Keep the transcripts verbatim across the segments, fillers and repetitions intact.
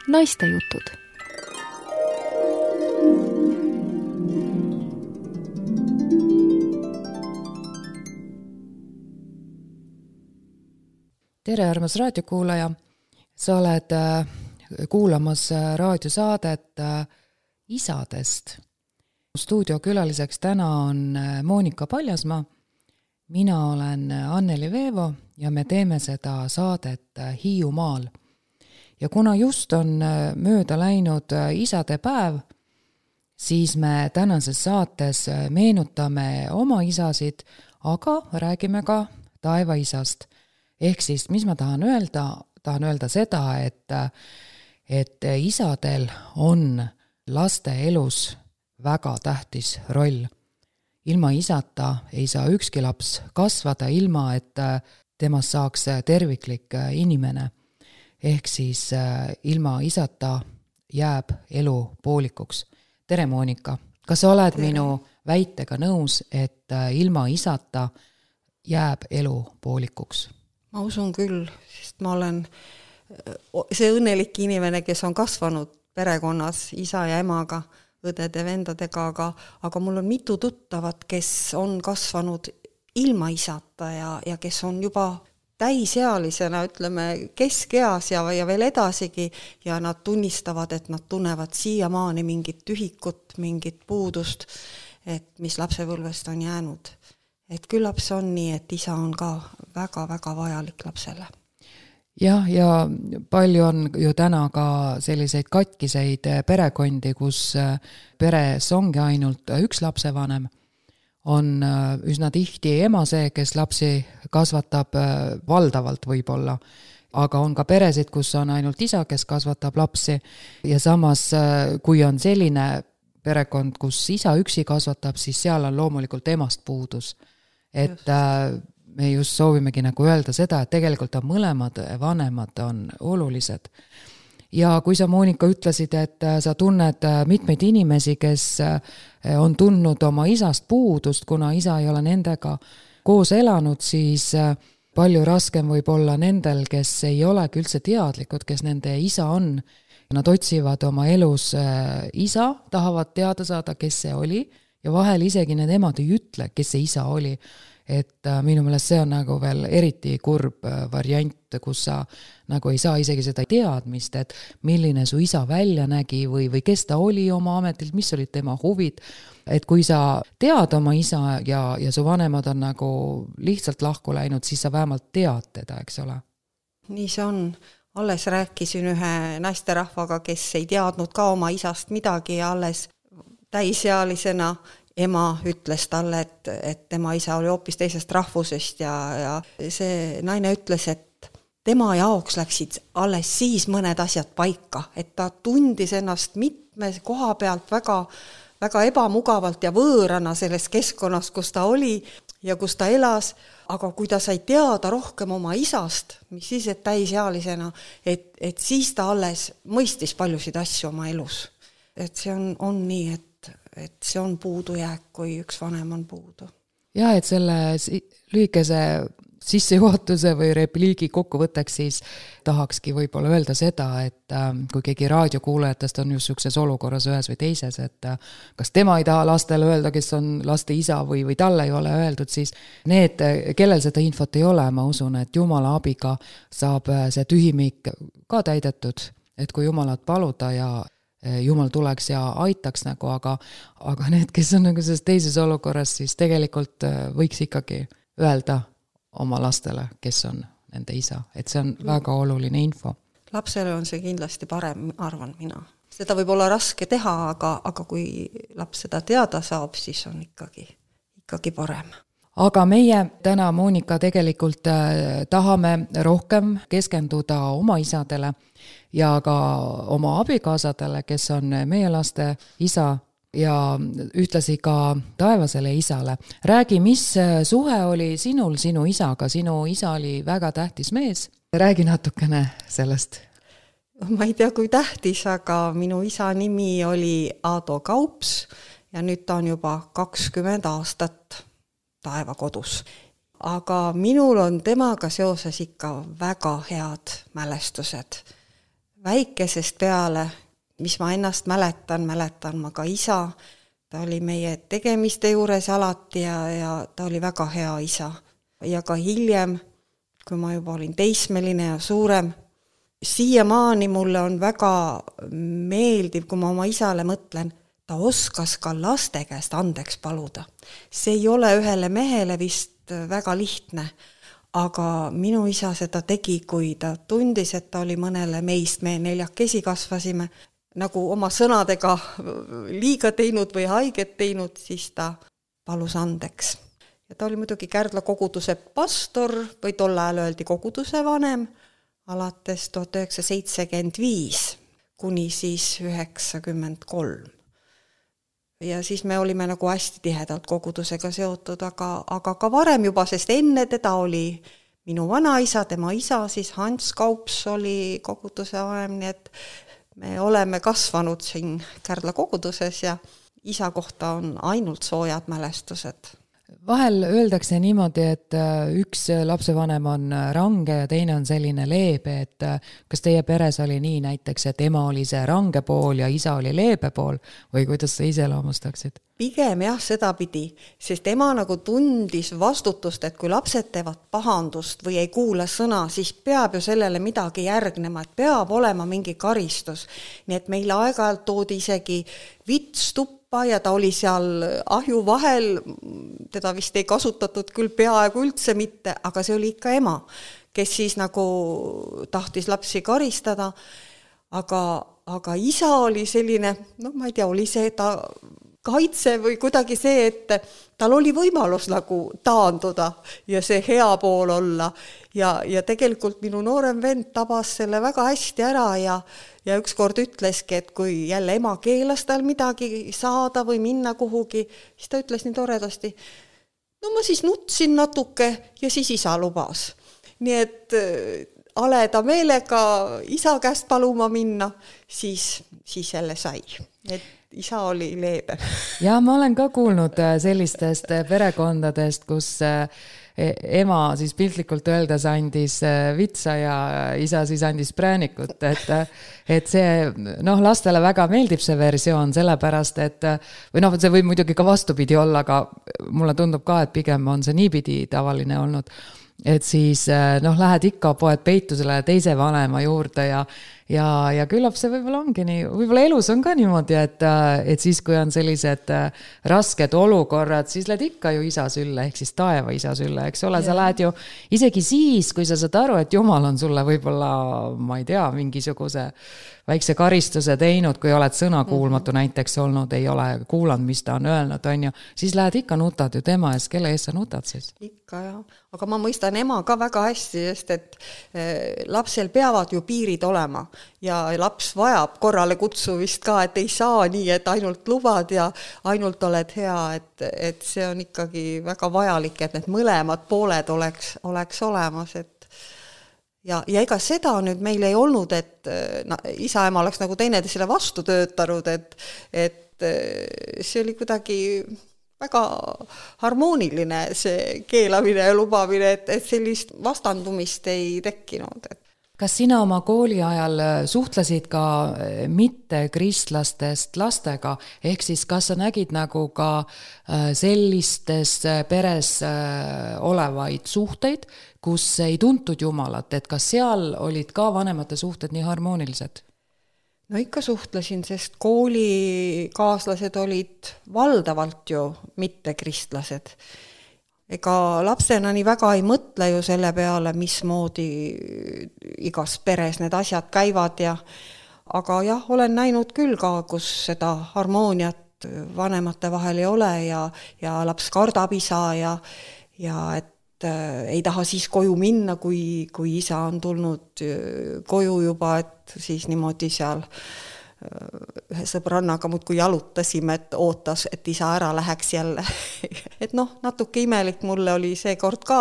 naistejutud. Tere, armas raadiokuulaja! Sa oled kuulamas raadiosaadet isadest. Stuudiokülaliseks täna on Moonika Paljasmaa. Mina olen Anneli Veevo ja me teeme seda saadet Hiiumaal. Ja kuna just on mööda läinud isade päev, siis me tänases saates meenutame oma isasid, aga räägime ka taevaisast. Ehk siis, mis ma tahan öelda? Tahan öelda seda, et, et isadel on laste elus väga tähtis roll. Ilma isata ei saa ükski laps kasvada ilma, et temast saaks terviklik inimene. Ehk siis ilma isata jääb elu poolikuks. Tere, Moonika! Kas sa oled Tere. Minu väitega nõus, et ilma isata jääb elu poolikuks? Ma usun küll, sest ma olen see õnnelik inimene, kes on kasvanud perekonnas isa ja emaga, õdede, vendadega, aga, aga mul on mitu tuttavat, kes on kasvanud ilma isata ja, ja kes on juba täisealisena, ütleme, keskeas ja, ja veel edasigi ja nad tunnistavad, et nad tunnevad siiamaani mingit tühikut, mingit puudust, et mis lapsepõlvest on jäänud. Et küllap see on nii, et isa on ka väga-väga vajalik lapsele. Jah, ja palju on ju täna ka selliseid katkiseid perekondi, kus peres ongi ainult üks lapsevanem. On üsna tihti ema see, kes lapsi kasvatab valdavalt võib-olla, aga on ka peresid, kus on ainult isa, kes kasvatab lapsi. Ja samas, kui on selline perekond, kus isa üksi kasvatab, siis seal on loomulikult emast puudus. Et just. Me just soovimegi nagu öelda seda, et tegelikult on mõlemad vanemad on olulised. Ja kui sa, Moonika, ütlesid, et sa tunned mitmeid inimesi, kes on tundnud oma isast puudust, kuna isa ei ole nendega koos elanud, siis palju raskem võib olla nendel, kes ei olegi üldse teadlikud, kes nende isa on. Nad otsivad oma elus isa, tahavad teada saada, kes see oli ja vahel isegi need emad ei ütle, kes see isa oli. Et minu meelest see on nagu veel eriti kurb variant, kus sa nagu ei saa isegi seda teadmist, et milline su isa välja nägi või, või kes ta oli oma ametilt, mis olid tema huvid. Et kui sa tead oma isa ja, ja su vanemad on nagu lihtsalt lahku läinud, siis sa vähemalt tead teda, eks ole? Nii see on. Alles rääkisin ühe naisterahvaga, kes ei teadnud ka oma isast midagi ja alles täisealisena ema ütles talle, et, et tema isa oli hoopis teisest rahvusest ja, ja see naine ütles, et tema jaoks läksid alles siis mõned asjad paika, et ta tundis ennast mitme koha pealt väga, väga ebamugavalt ja võõrana selles keskkonnas, kus ta oli ja kus ta elas, aga kui ta sai teada rohkem oma isast, mis siis, et täisealisena, et, et siis ta alles mõistis paljusid asju oma elus. Et see on, on nii, et et see on puudujääk, kui üks vanem on puudu. Ja, et selle lühikese sissejuhatuse või repliigi kokkuvõtteks siis tahakski võib-olla öelda seda, et kui keegi raadiokuulajatest on just sükses olukorras ühes või teises, et kas tema ei taha lastele öelda, kes on laste isa või, või talle ei ole öeldud, siis need, kellel seda infot ei ole, ma usun, et Jumala abiga saab see tühimik ka täidetud, et kui Jumalat paluda ja Jumal tuleks ja aitaks nagu, aga, aga need, kes on nagu selles teises olukorras, siis tegelikult võiks ikkagi öelda oma lastele, kes on nende isa. Et see on väga oluline info. Lapsele on see kindlasti parem, arvan mina. Seda võib olla raske teha, aga, aga kui laps seda teada saab, siis on ikkagi, ikkagi parem. Aga meie täna, Moonika, tegelikult tahame rohkem keskenduda oma isadele ja ka oma abikaasadele, kes on meie laste isa ja ühtlasi ka taevasele isale. Räägi, mis suhe oli sinul sinu isaga? Sinu isa oli väga tähtis mees. Räägi natukene sellest. Ma ei tea, kui tähtis, aga minu isa nimi oli Aado Kaups ja nüüd ta on juba kakskümmend aastat taevakodus. Aga minul on temaga seoses ikka väga head mälestused. väikesest peale, mis ma ennast mäletan, mäletan ma ka isa, ta oli meie tegemiste juures alati ja, ja ta oli väga hea isa. Ja ka hiljem, kui ma juba olin teismeline ja suurem, siiamaani mulle on väga meeldiv, kui ma oma isale mõtlen, ta oskas ka laste käest andeks paluda. See ei ole ühele mehele vist väga lihtne, aga minu isa seda tegi, kui ta tundis, et ta oli mõnele meist, me neljakesi kasvasime, nagu oma sõnadega liiga teinud või haiget teinud, siis ta palus andeks. Ja ta oli muidugi Kärdla koguduse pastor või tol ajal öeldi koguduse vanem, alates tuhat üheksasada seitsekümmend viis kuni siis üheksakümmend kolm. Ja siis me olime nagu hästi tihedalt kogudusega seotud, aga, aga ka varem juba, sest enne teda oli minu vanaisa, tema isa, siis Hans Kaups oli koguduse vanem, nii et me oleme kasvanud siin Kärdla koguduses ja isa kohta on ainult soojad mälestused. Vahel öeldakse niimoodi, et üks lapsevanem on range ja teine on selline leebe, et kas teie peres oli nii näiteks, et ema oli see range pool ja isa oli leebe pool või kuidas sa iseloomustaksid? Pigem jah, seda pidi, sest ema nagu tundis vastutust, et kui lapsed teevad pahandust või ei kuule sõna, siis peab ju sellele midagi järgnema, et peab olema mingi karistus. Nii et meile aeg-ajalt toodi isegi vits tuppa ja ta oli seal ahju vahel, teda vist ei kasutatud küll peaaegu üldse mitte, aga see oli ikka ema, kes siis nagu tahtis lapsi karistada, aga, aga isa oli selline, no ma ei tea, oli see ta kaitse või kuidagi see, et tal oli võimalus nagu taanduda ja see hea pool olla. Ja, ja tegelikult minu noorem vend tabas selle väga hästi ära ja, ja ükskord ütleski, et kui jälle ema keelas tal midagi saada või minna kuhugi, siis ta ütles nii toredasti, no ma siis nutsin natuke ja siis isa lubas. Nii et aleda meelega isa käest paluma minna, siis, siis jälle sai. Et isa oli leebe. Ja ma olen ka kuulnud sellistest perekondadest, kus ema siis piltlikult öeldes andis vitsa ja isa siis andis präänikut, et, et see, noh, lastele väga meeldib see versioon, sellepärast, et või noh, see võib muidugi ka vastupidi olla, aga mulle tundub ka, et pigem on see niipidi tavaline olnud, et siis noh, lähed ikka poed peitusele teise vanema juurde ja Ja, ja küllap see võib-olla ongi nii, võib-olla elus on ka niimoodi, et, et siis kui on sellised rasked olukorrad, siis lähed ikka ju isa sülle, ehk siis taeva isa sülle, eks ole, sa lähed ju isegi siis, kui sa saad aru, et Jumal on sulle võib-olla, ma ei tea, mingisuguse väikse karistuse teinud, kui oled sõnakuulmatu näiteks olnud, ei ole kuulanud, mis ta on öelnud, on ju, siis lähed ikka nutad ju tema ees, kelle ees sa nutad siis? Ikka jah, aga ma mõistan ema ka väga hästi, sest et lapsel peavad ju piirid olema ja laps vajab korrale kutsuvist ka, et ei saa nii, et ainult lubad ja ainult oled hea, et, et see on ikkagi väga vajalik, et need mõlemad pooled oleks, oleks olemas, et Ja, ja ega seda nüüd meil ei olnud, et no, isa ema oleks nagu teineteisele vastu töötanud, et, et see oli kuidagi väga harmooniline see keelamine ja lubamine, et, et sellist vastandumist ei tekkinud. Kas sina oma kooli ajal suhtlesid ka mitte kristlastest lastega, ehk siis kas sa nägid nagu ka sellistes peres olevaid suhteid, kus ei tuntud Jumalat, et kas seal olid ka vanemate suhted nii harmoonilised? No ikka suhtlesin, sest koolikaaslased olid valdavalt ju mitte kristlased. Ega lapsena nii väga ei mõtle ju selle peale, mismoodi igas peres need asjad käivad ja aga jah, olen näinud küll ka, kus seda harmooniat vanemate vahel ei ole ja, ja laps kardab isa ja, ja et ei taha siis koju minna, kui, kui isa on tulnud koju juba, et siis niimoodi seal ühe sõbrannaga muudkui jalutasime, et ootas, et isa ära läheks jälle. Et noh, natuke imelik mulle oli see kord ka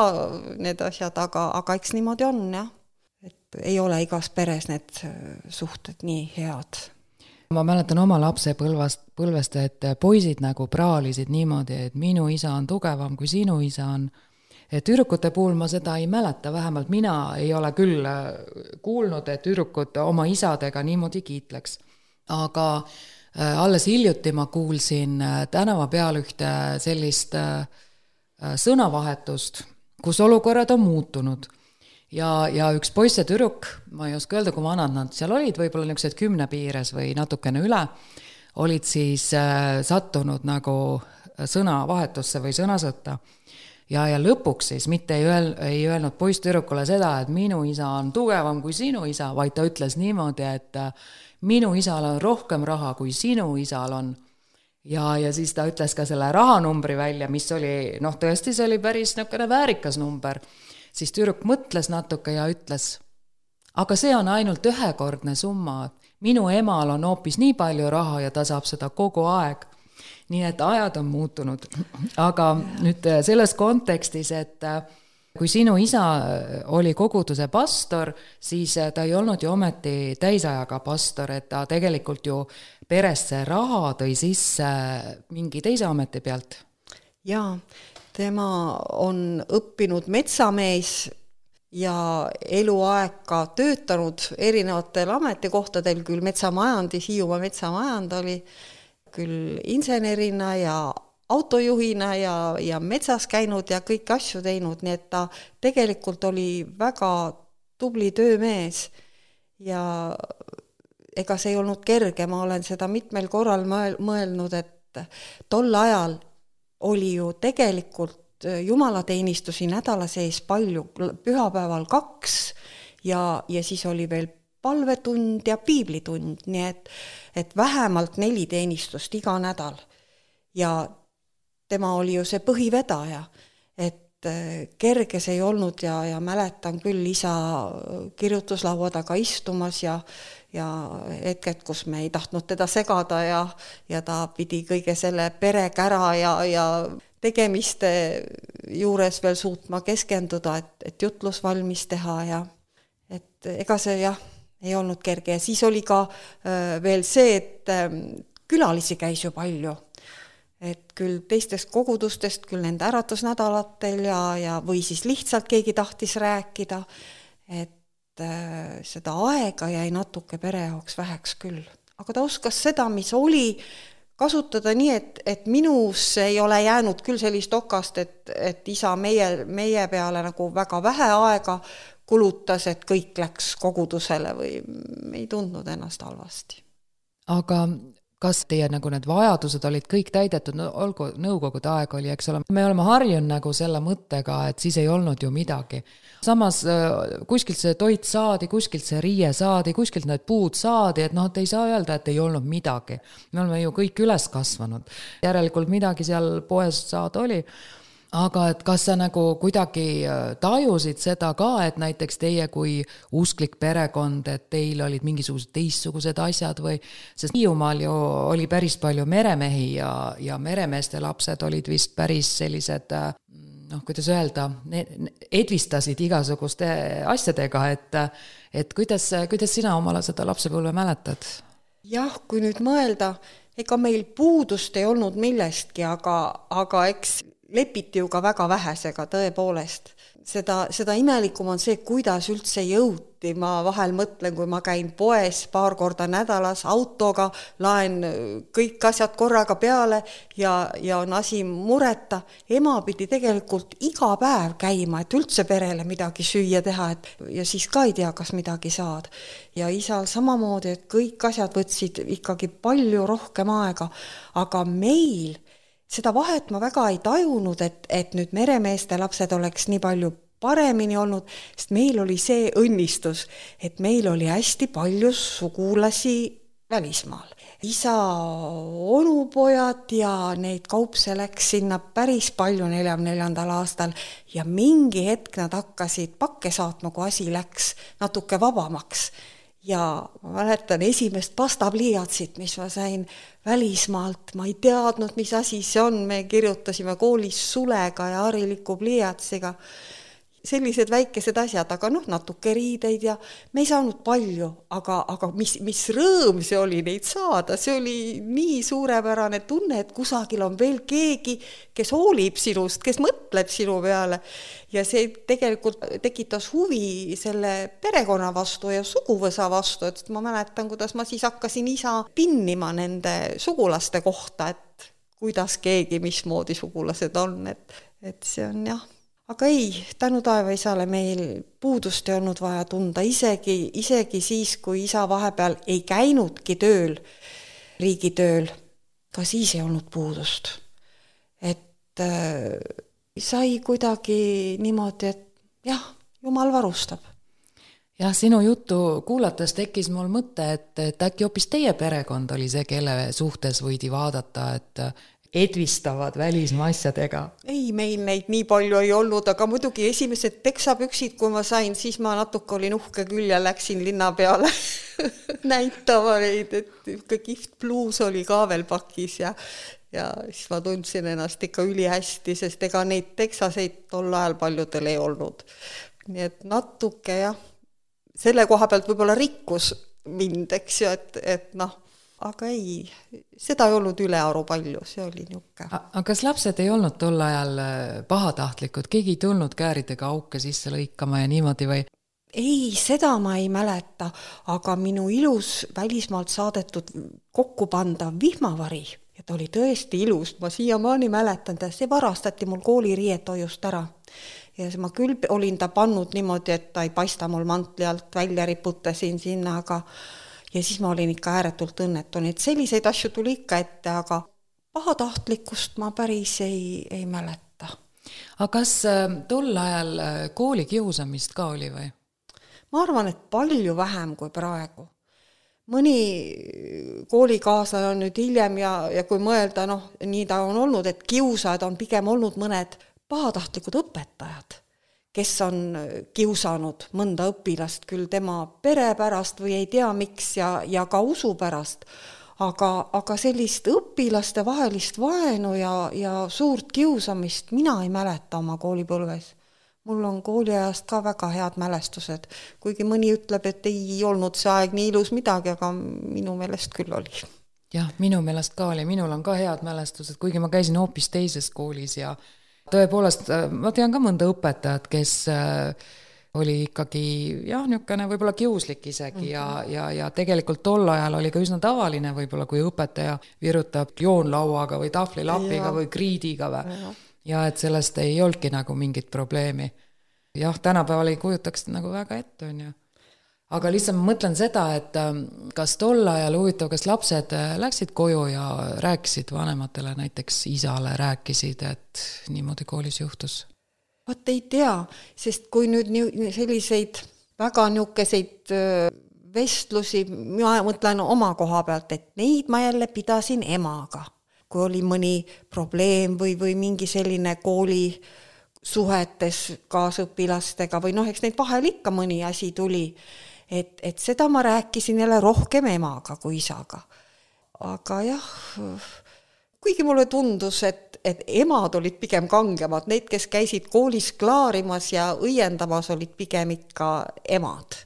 need asjad, aga, aga eks niimoodi on, jah. Et ei ole igas peres need suhted nii head. Ma mäletan oma lapse põlvast, põlvest, et poisid nagu praalisid niimoodi, et minu isa on tugevam kui sinu isa on. et tüdrukute puhul ma seda ei mäleta, vähemalt mina ei ole küll kuulnud, et tüdrukud oma isadega niimoodi kiitleks. Aga alles hiljuti ma kuulsin tänava peal ühte sellist sõnavahetust, kus olukorrad on muutunud. Ja, ja üks poiss ja tüdruk, ma ei oska öelda, kui vanad nad seal olid, võib-olla niisugused kümne piires või natukene üle, olid siis sattunud nagu sõnavahetusse või sõnasõtta. Ja, ja lõpuks siis mitte ei, öel, ei öelnud poiss tüdrukule seda, et minu isa on tugevam kui sinu isa, vaid ta ütles niimoodi, et minu isal on rohkem raha kui sinu isal on. Ja, ja siis ta ütles ka selle rahanumbri välja, mis oli, noh tõesti see oli päris niisugune väärikas number. Siis tüdruk mõtles natuke ja ütles, aga see on ainult ühekordne summa. Minu emal on hoopis nii palju raha ja ta saab seda kogu aeg. Nii et ajad on muutunud. Aga nüüd selles kontekstis, et kui sinu isa oli koguduse pastor, siis ta ei olnud ju ometi täisajaga pastor, et ta tegelikult ju peresse raha tõi sisse mingi teise ameti pealt. Jaa, tema on õppinud metsamees ja eluaeg ka töötanud erinevatel ametikohtadel, küll metsamajandis, Hiiumaa metsamajand oli, küll insenerina ja autojuhina ja, ja metsas käinud ja kõik asju teinud, nii et ta tegelikult oli väga tubli töömees ja ega see ei olnud kerge, ma olen seda mitmel korral mõelnud, et tol ajal oli ju tegelikult jumalateenistusi nädala sees palju, pühapäeval kaks ja, ja siis oli veel palvetund ja piiblitund, nii et, et vähemalt neli teenistust iga nädal. Ja tema oli ju see põhivedaja, et kerge see ei olnud ja, ja mäletan küll isa kirjutuslaua taga istumas ja, ja hetked, kus me ei tahtnud teda segada ja, ja ta pidi kõige selle perekära ja, ja tegemiste juures veel suutma keskenduda, et, et jutlus valmis teha ja et ega see jah, ei olnud kerge ja siis oli ka äh, veel see, et äh, külalisi käis ju palju, et küll teistest kogudustest, küll nende äratusnädalatel ja, ja või siis lihtsalt keegi tahtis rääkida, et äh, seda aega jäi natuke pere jaoks väheks küll, aga ta oskas seda, mis oli, kasutada nii, et, et minus ei ole jäänud küll sellist okast, et, et isa meie, meie peale nagu väga vähe aega kulutas, et kõik läks kogudusele või ei tundnud ennast halvasti. Aga kas teie nagu need vajadused olid kõik täidetud, no olgu nõukogude aeg oli, eks ole, me oleme harjunud nagu selle mõttega, et siis ei olnud ju midagi. Samas kuskilt see toit saadi, kuskilt see riie saadi, kuskilt need puud saadi, et noh, et ei saa öelda, et ei olnud midagi. Me oleme ju kõik üles kasvanud. Järelikult midagi seal poes saada oli. Aga et kas sa nagu kuidagi tajusid seda ka, et näiteks teie kui usklik perekond, et teil olid mingisugused teistsugused asjad või, sest Hiiumaal ju oli päris palju meremehi ja, ja meremeeste lapsed olid vist päris sellised, noh, kuidas öelda, edvistasid igasuguste asjadega, et, et kuidas, kuidas sina omale seda lapsepõlve mäletad? Jah, kui nüüd mõelda, ega meil puudust ei olnud millestki, aga, aga eks lepiti ju ka väga vähesega tõepoolest. Seda, seda imelikum on see, kuidas üldse jõuti. Ma vahel mõtlen, kui ma käin poes paar korda nädalas autoga, laen kõik asjad korraga peale ja, ja on asi mureta. Ema pidi tegelikult iga päev käima, et üldse perele midagi süüa teha, et, ja siis ka ei tea, kas midagi saad. Ja isal samamoodi, et kõik asjad võtsid ikkagi palju rohkem aega, aga meil seda vahet ma väga ei tajunud, et, et nüüd meremeeste lapsed oleks nii palju paremini olnud, sest meil oli see õnnistus, et meil oli hästi palju sugulasi välismaal. Isa onupojad ja neid kaupse läks sinna päris palju neljakümne neljandal aastal ja mingi hetk nad hakkasid pakke saatma, kui asi läks natuke vabamaks. Ja ma mäletan esimest pastapliiatsit, mis ma sain välismaalt, ma ei teadnud, mis asi see on, me kirjutasime koolis sulega ja hariliku pliiatsiga. sellised väikesed asjad, aga noh, natuke riideid ja me ei saanud palju, aga, aga mis, mis rõõm see oli neid saada, see oli nii suurepärane tunne, et kusagil on veel keegi, kes hoolib sinust, kes mõtleb sinu peale ja see tegelikult tekitas huvi selle perekonna vastu ja suguvõsa vastu, et ma mäletan, kuidas ma siis hakkasin isa pinnima nende sugulaste kohta, et kuidas keegi, mismoodi sugulased on, et, et see on jah. Aga ei, tänu taevaisale meil puudust ei olnud vaja tunda, isegi, isegi siis, kui isa vahepeal ei käinudki tööl, riigitööl, ka siis ei olnud puudust. Et äh, sai kuidagi niimoodi, et jah, Jumal varustab. Jah, sinu juttu kuulates tekkis mul mõte, et, et äkki hoopis teie perekond oli see, kelle suhtes võidi vaadata, et edvistavad välismaa asjadega. Ei, meil neid nii palju ei olnud, aga muidugi esimesed teksapüksid, kui ma sain, siis ma natuke olin uhke küll ja läksin linna peale näitama neid, et kihvt bluus oli ka veel pakis ja, ja siis ma tundsin ennast ikka ülihästi, sest ega neid teksaseid tol ajal paljudel ei olnud. Nii et natuke jah, selle koha pealt võib-olla rikkus mind, eks ju, et, et noh, aga ei, seda ei olnud ülearu palju, see oli niuke. Aga kas lapsed ei olnud tol ajal pahatahtlikud? Keegi ei tulnud kääridega auke sisse lõikama ja niimoodi või? Ei, seda ma ei mäleta, aga minu ilus välismaalt saadetud kokkupandav vihmavari, ja ta oli tõesti ilus, ma siiamaani mäletan, see varastati mul kooliriietoojust ära. Ja ma küll olin ta pannud niimoodi, et ta ei paista mul mantli alt, välja riputasin sinna, aga ja siis ma olin ikka ääretult õnnetun, et selliseid asju tuli ikka ette, aga pahatahtlikkust ma päris ei, ei mäleta. Aga kas tol ajal kooli kiusamist ka oli või? Ma arvan, et palju vähem kui praegu. Mõni koolikaaslane on nüüd hiljem ja, ja kui mõelda, noh, nii ta on olnud, et kiusajad on pigem olnud mõned pahatahtlikud õpetajad, kes on kiusanud mõnda õpilast küll tema pere pärast või ei tea miks ja, ja ka usu pärast, aga, aga sellist õpilaste vahelist vaenu ja, ja suurt kiusamist mina ei mäleta oma koolipõlves. Mul on kooliajast ka väga head mälestused, kuigi mõni ütleb, et ei olnud see aeg nii ilus midagi, aga minu meelest küll oli. Jah, minu meelest ka oli, minul on ka head mälestused, kuigi ma käisin hoopis teises koolis ja tõepoolest, ma tean ka mõnda õpetajat, kes oli ikkagi jah, niisugune võib-olla kiuslik isegi ja, ja, ja tegelikult tol ajal oli ka üsna tavaline võib-olla, kui õpetaja virutab joonlauaga või tahvlilapiga ja. Või kriidiga või. Ja. ja et sellest ei olnudki nagu mingit probleemi. Jah, tänapäeval ei kujutaks nagu väga ette, on ju. Aga lihtsalt ma mõtlen seda, et kas tol ajal huvitav, kas lapsed läksid koju ja rääkisid vanematele, näiteks isale rääkisid, et niimoodi koolis juhtus? Vaat ei tea, sest kui nüüd selliseid väga niukeseid vestlusi, ma mõtlen oma koha pealt, et neid ma jälle pidasin emaga. Kui oli mõni probleem või, või mingi selline kooli suhetes kaasõpilastega või noh, eks neid vahel ikka mõni asi tuli. Et, et seda ma rääkisin jälle rohkem emaga kui isaga. Aga jah, kuigi mulle tundus, et, et emad olid pigem kangemad, need, kes käisid koolis klaarimas ja õiendamas, olid pigem ikka emad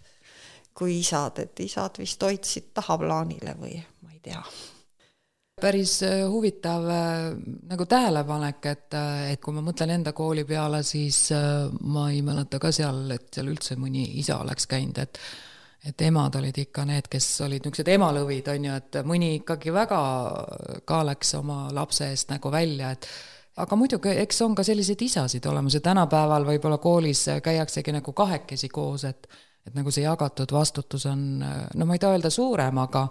kui isad, et isad vist hoidsid tahaplaanile või ma ei tea. Päris huvitav nagu tähelepanek, et, et kui ma mõtlen enda kooli peale, siis ma ei mäleta ka seal, et seal üldse mõni isa oleks käinud, et et emad olid ikka need, kes olid niisugused emalõvid, on ju, et mõni ikkagi väga ka läks oma lapse eest nagu välja, et aga muidugi, eks on ka selliseid isasid olemas ja tänapäeval võib-olla koolis käiaksegi nagu kahekesi koos, et, et nagu see jagatud vastutus on, no ma ei taha öelda suurem, aga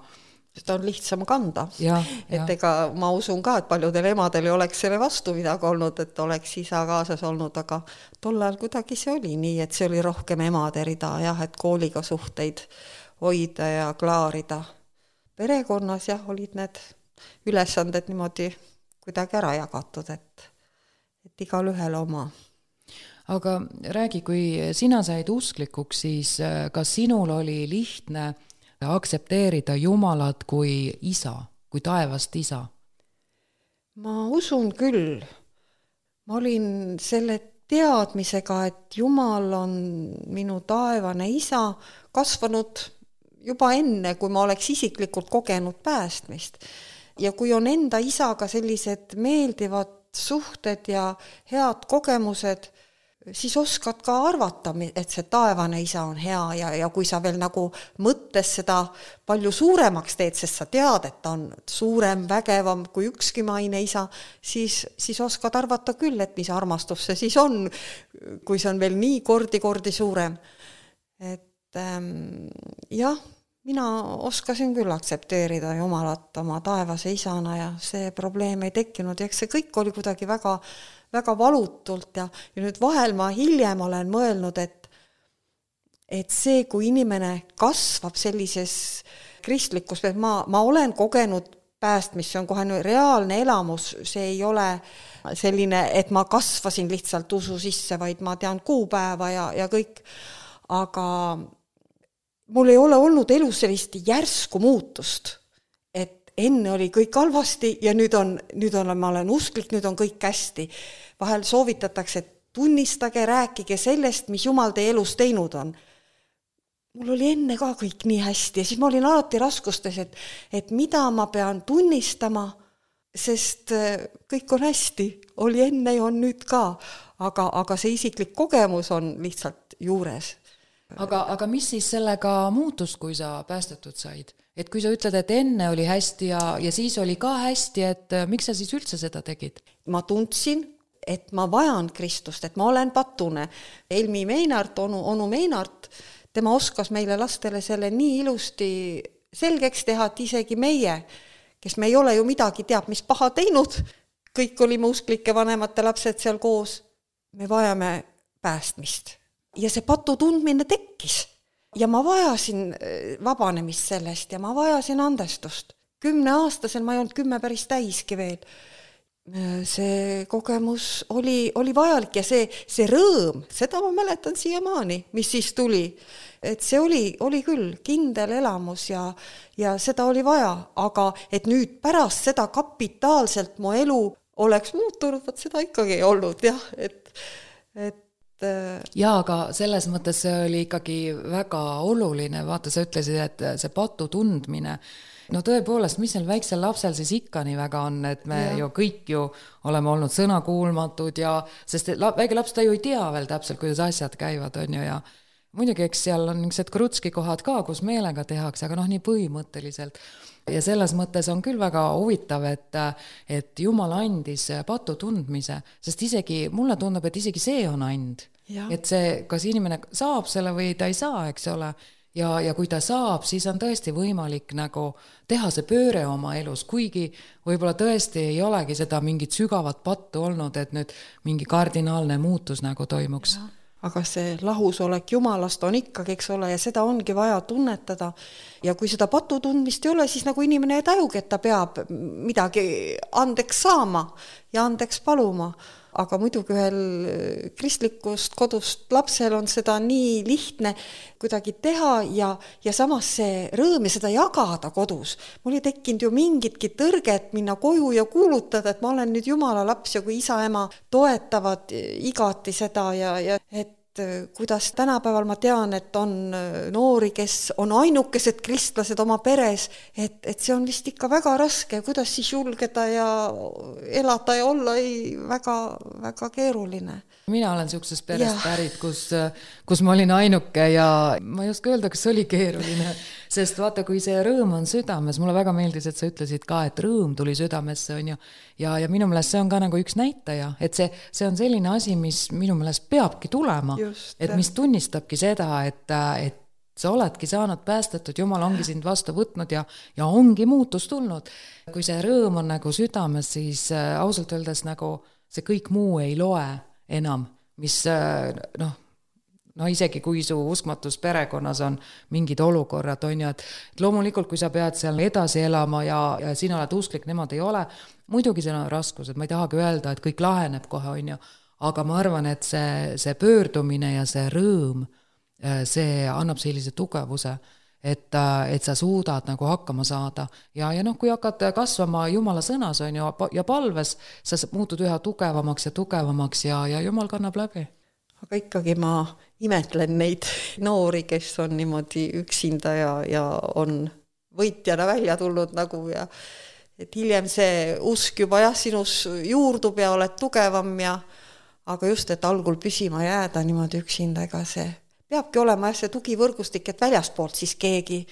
seda on lihtsam kanda. Ja, et ja. ega ma usun ka, et paljudel emadel ei oleks selle vastu midagi olnud, et oleks isa kaasas olnud, aga tollal kuidagi see oli nii, et see oli rohkem emade rida, jah, et kooliga suhteid hoida ja klaarida. Perekonnas jah, olid need ülesanded niimoodi kuidagi ära jagatud, et, et igal ühel oma. Aga räägi, kui sina said usklikuks, siis kas sinul oli lihtne aksepteerida Jumalat kui isa, kui taevast isa? Ma usun küll. Ma olin selle teadmisega, et Jumal on minu taevane isa kasvanud juba enne, kui ma oleks isiklikult kogenud päästmist. Ja kui on enda isaga sellised meeldivad suhted ja head kogemused, siis oskad ka arvata, et see taevane isa on hea ja, ja kui sa veel nagu mõttes seda palju suuremaks teed, sest sa tead, et ta on suurem, vägevam kui ükski maine isa, siis, siis oskad arvata küll, et mis armastus see siis on, kui see on veel nii kordi-kordi suurem. Et ähm, jah, mina oskasin küll aktsepteerida Jumalat oma taevase isana ja see probleem ei tekkinud ja eks see kõik oli kuidagi väga väga valutult ja, ja nüüd vahel ma hiljem olen mõelnud, et, et see, kui inimene kasvab sellises kristlikus, ma, ma olen kogenud päästmist, see on kohe reaalne elamus, see ei ole selline, et ma kasvasin lihtsalt usu sisse, vaid ma tean kuupäeva ja, ja kõik, aga mul ei ole olnud elus sellist järsku muutust, et enne oli kõik halvasti ja nüüd on, nüüd on, ma olen usklik, nüüd on kõik hästi. Vahel soovitatakse, et tunnistage, rääkige sellest, mis Jumal teie elus teinud on. Mul oli enne ka kõik nii hästi ja siis ma olin alati raskustes, et, et mida ma pean tunnistama, sest kõik on hästi, oli enne ja on nüüd ka, aga, aga see isiklik kogemus on lihtsalt juures. Aga, aga mis siis sellega muutus, kui sa päästetud said? Et kui sa ütled, et enne oli hästi ja, ja siis oli ka hästi, et miks sa siis üldse seda tegid? Ma tundsin, et ma vajan Kristust, et ma olen patune. Elmi Meinart, onu, onu Meinart, tema oskas meile lastele selle nii ilusti selgeks teha, et isegi meie, kes me ei ole ju midagi teab, mis paha teinud, kõik olime usklike vanemate lapsed seal koos, me vajame päästmist. Ja see patu tundmine tekkis. Ja ma vajasin vabanemist sellest ja ma vajasin andestust. Kümne aastasel ma ei olnud kümme päris täiski veel. See kogemus oli, oli vajalik ja see, see rõõm, seda ma mäletan siiamaani, mis siis tuli. Et see oli, oli küll kindel elamus ja, ja seda oli vaja, aga et nüüd pärast seda kapitaalselt mu elu oleks muutunud, võt seda ikkagi ei olnud, jah, et, et jaa, aga selles mõttes see oli ikkagi väga oluline, vaata, sa ütlesid, et see patu tundmine, no tõepoolest, mis neil väiksel lapsel siis ikka nii väga on, et me ja. ju kõik ju oleme olnud sõnakuulmatud ja, sest väike laps ta ju ei tea veel täpselt, kuidas asjad käivad, on ju, ja muidugi, eks seal on niisugused krutski kohad ka, kus meelega tehakse, aga noh, nii põhimõtteliselt. Ja selles mõttes on küll väga huvitav, et, et Jumal andis patu tundmise, sest isegi, mulle tundub, et isegi see on and. Ja. Et see, kas inimene saab selle või ta ei saa, eks ole, ja, ja kui ta saab, siis on tõesti võimalik nagu teha see pööre oma elus, kuigi võib-olla tõesti ei olegi seda mingit sügavat pattu olnud, et nüüd mingi kardinaalne muutus nagu toimuks. Ja. Aga see lahusolek Jumalast on ikkagi, eks ole, ja seda ongi vaja tunnetada. Ja kui seda patu tundmist ei ole, siis nagu inimene ei tajugi, et ta peab midagi andeks saama ja andeks paluma. Aga muidugi ühel kristlikust kodust lapsel on seda nii lihtne kuidagi teha ja, ja samas see rõõm ja seda jagada kodus. Mul ei tekkinud ju mingitki tõrget minna koju ja kuulutada, et ma olen nüüd Jumala laps ja kui isa ema toetavad igati seda ja, ja et kuidas tänapäeval ma tean, et on noori, kes on ainukesed kristlased oma peres, et, et see on vist ikka väga raske, kuidas siis julgeda ja elada ja olla ei väga, väga keeruline. Mina olen niisugusest perest pärit, kus, kus ma olin ainuke ja ma ei oska öelda, kas see oli keeruline, sest vaata, kui see rõõm on südames, mulle väga meeldis, et sa ütlesid ka, et rõõm tuli südamesse, on ju, ja, ja minu meelest see on ka nagu üks näitaja, et see, see on selline asi, mis minu meelest peabki tulema, just, et mis tunnistabki seda, et, et sa oledki saanud päästetud, Jumal ongi sind vastu võtnud ja, ja ongi muutus tulnud. Kui see rõõm on nagu südames, siis ausalt öeldes nagu see kõik muu ei loe enam, mis noh, no isegi kui su uskmatus perekonnas on mingid olukorrad, on ju, et loomulikult, kui sa pead seal edasi elama ja, ja sina oled usklik, nemad ei ole, muidugi seal on raskused, ma ei tahagi öelda, et kõik laheneb kohe, on ju, aga ma arvan, et see, see pöördumine ja see rõõm, see annab sellise tugevuse, et, et sa suudad nagu hakkama saada. Ja, ja noh, kui hakkad kasvama Jumala sõnas on ju, ja palves, sa muutud üha tugevamaks ja tugevamaks ja, ja Jumal kannab läbi. Aga ikkagi ma imetlen neid noori, kes on niimoodi üksinda ja, ja on võitjana välja tulnud nagu ja et hiljem see usk juba jah, sinus juurdub ja oled tugevam ja aga just, et algul püsima jääda niimoodi üksinda, ega see peabki olema jah, see tugivõrgustik, et väljaspoolt siis keegi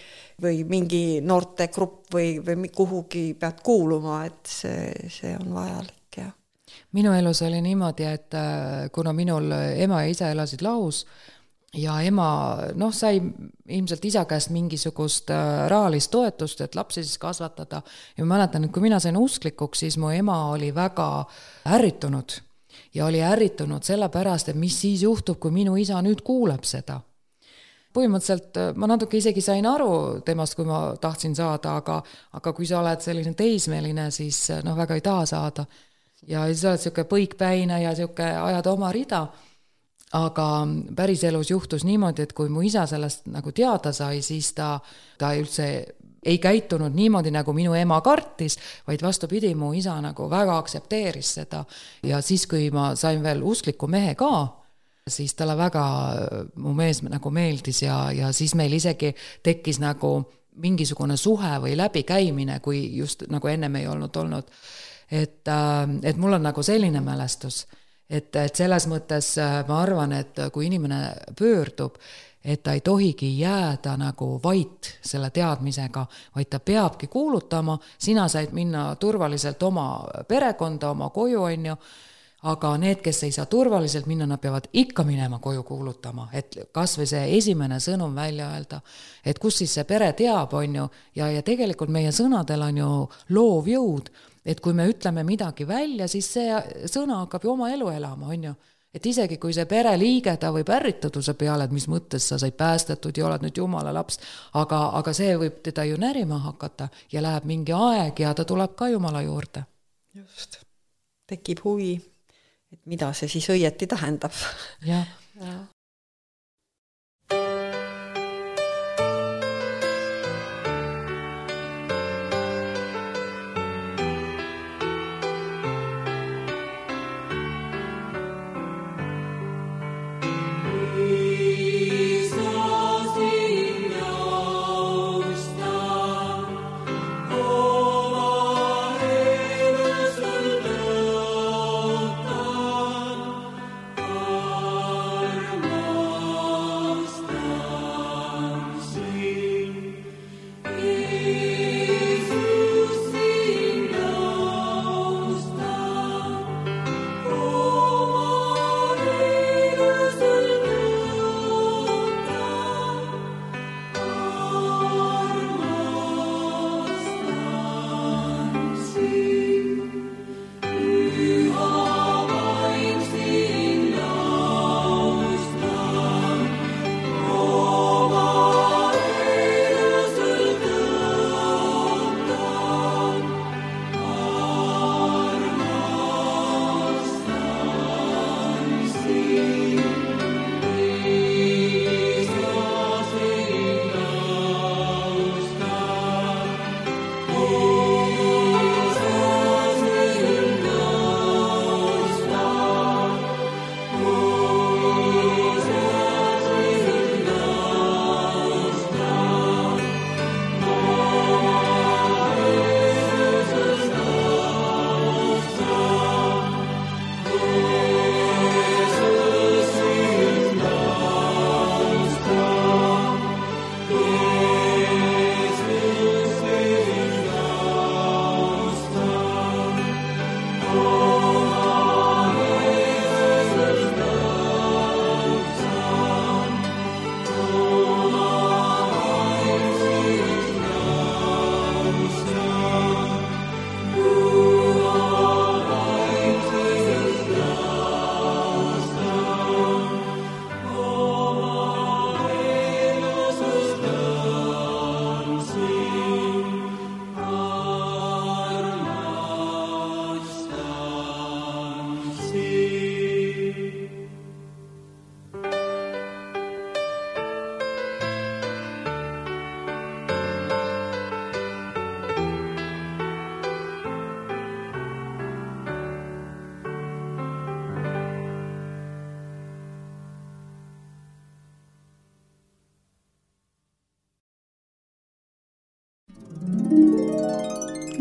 või mingi noortegrupp või, või kuhugi pead kuuluma, et see, see on vajalik ja minu elus oli niimoodi, et kuna minul ema ja isa elasid lahus ja ema noh, sai ilmselt isa käest mingisugust rahalist toetust, et lapsi siis kasvatada ja ma mäletan, et kui mina sain usklikuks, siis mu ema oli väga ärritunud ja oli ärritunud sellepärast, et mis siis juhtub, kui minu isa nüüd kuuleb seda. Põhimõtteliselt ma natuke isegi sain aru temast, kui ma tahtsin saada, aga, aga kui sa oled selline teismeline, siis noh, väga ei taha saada. Ja siis oled siuke põikpäine ja siuke ajad oma rida, aga päris elus juhtus niimoodi, et kui mu isa sellest nagu teada sai, siis ta, ta üldse ei käitunud niimoodi, nagu minu ema kartis, vaid vastupidi, mu isa nagu väga aksepteeris seda ja siis, kui ma sain veel uskliku mehe ka, siis talle väga mu mees nagu meeldis ja, ja siis meil isegi tekkis nagu mingisugune suhe või läbikäimine, kui just nagu ennem ei olnud olnud. Et, et mul on nagu selline mälestus, et, et selles mõttes ma arvan, et kui inimene pöördub, et ta ei tohigi jääda nagu vait selle teadmisega, vaid ta peabki kuulutama, sina said minna turvaliselt oma perekonda, oma koju on ju, aga need, kes ei saa turvaliselt minna, nad peavad ikka minema koju kuulutama, et kas või see esimene sõnum välja öelda, et kus siis see pere teab on ju, ja, ja tegelikult meie sõnadel on ju loov jõud, et kui me ütleme midagi välja, siis see sõna hakkab ju oma elu elama, on ju. Et isegi kui see pere liige, ta võib ärritaduse peale, et mis mõttes sa said päästetud ja oled nüüd Jumala laps, aga, aga see võib teda ju närima hakata ja läheb mingi aeg ja ta tuleb ka Jumala juurde. Just, tekib huvi, et mida see siis õieti tähendab. Ja. Ja. Arma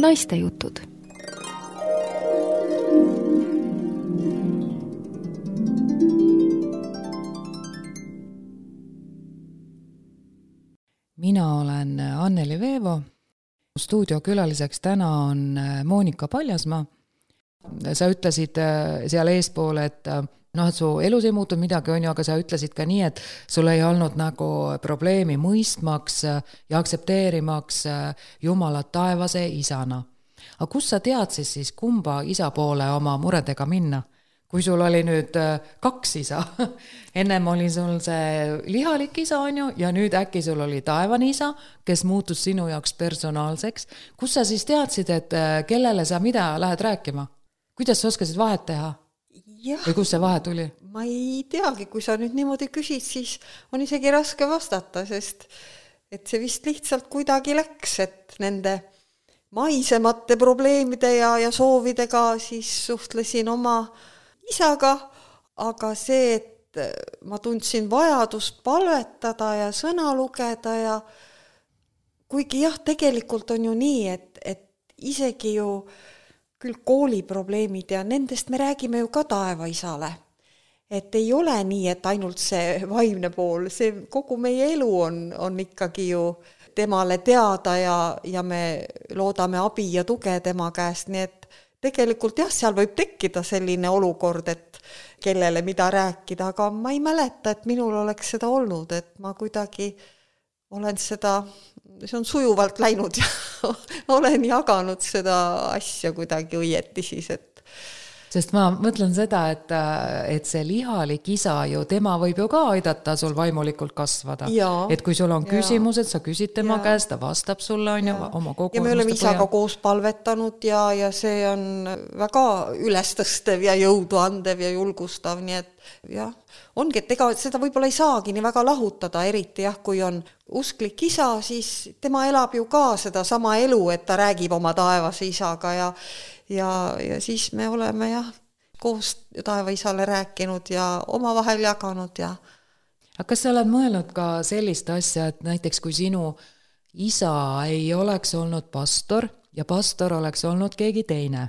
naistejutud. Mina olen Anneli Veevo. Stuudiokülaliseks täna on Moonika Paljasmaa. Sa ütlesid seal eespool, et noh, et su elus ei muutud midagi, on ju, aga sa ütlesid ka nii, et sul ei olnud nagu probleemi mõistmaks ja aktsepteerimaks Jumalat taevase isana. Aga kus sa tead siis, siis kumba isa poole oma muredega minna? Kui sul oli nüüd kaks isa, ennem oli sul see lihalik isa, on ju, ja nüüd äkki sul oli taevane isa, kes muutus sinu jaoks personaalseks. Kus sa siis teadsid, et kellele sa mida lähed rääkima? Kuidas sa oskasid vahet teha? Jah, või kus see vahe tuli? Ma ei teagi, kui sa nüüd niimoodi küsid, siis on isegi raske vastata, sest et see vist lihtsalt kuidagi läks, et nende maisemate probleemide ja, ja soovidega siis suhtlesin oma isaga, aga see, et ma tundsin vajadust palvetada ja sõna lugeda ja kuigi jah, tegelikult on ju nii, et, et isegi ju küll kooliprobleemid ja nendest me räägime ju ka taevaisale. Et ei ole nii, et ainult see vaimne pool, see kogu meie elu on, on ikkagi ju temale teada ja, ja me loodame abi ja tuge tema käest, nii et tegelikult jah, seal võib tekkida selline olukord, et kellele mida rääkida, aga ma ei mäleta, et minul oleks seda olnud, et ma kuidagi olen seda, see on sujuvalt läinud ja olen jaganud seda asja kuidagi õieti siis, et sest ma mõtlen seda, et, et see lihalik isa ju, tema võib ju ka aidata sul vaimulikult kasvada. Ja, et kui sul on küsimused, sa küsid tema ja. käest, ta vastab sulle on ju oma kogu. Ja me oleme isaga koos palvetanud ja, ja see on väga ülestõstev ja jõudu andev ja julgustav, nii et jah, ongi, et ega seda võib-olla ei saagi nii väga lahutada, eriti jah, kui on usklik isa, siis tema elab ju ka seda sama elu, et ta räägib oma taevase isaga ja Ja, ja siis me oleme jah, koos taevaisale rääkinud ja omavahel jaganud. Ja. Aga kas sa oled mõelnud ka sellist asja, et näiteks kui sinu isa ei oleks olnud pastor ja pastor oleks olnud keegi teine,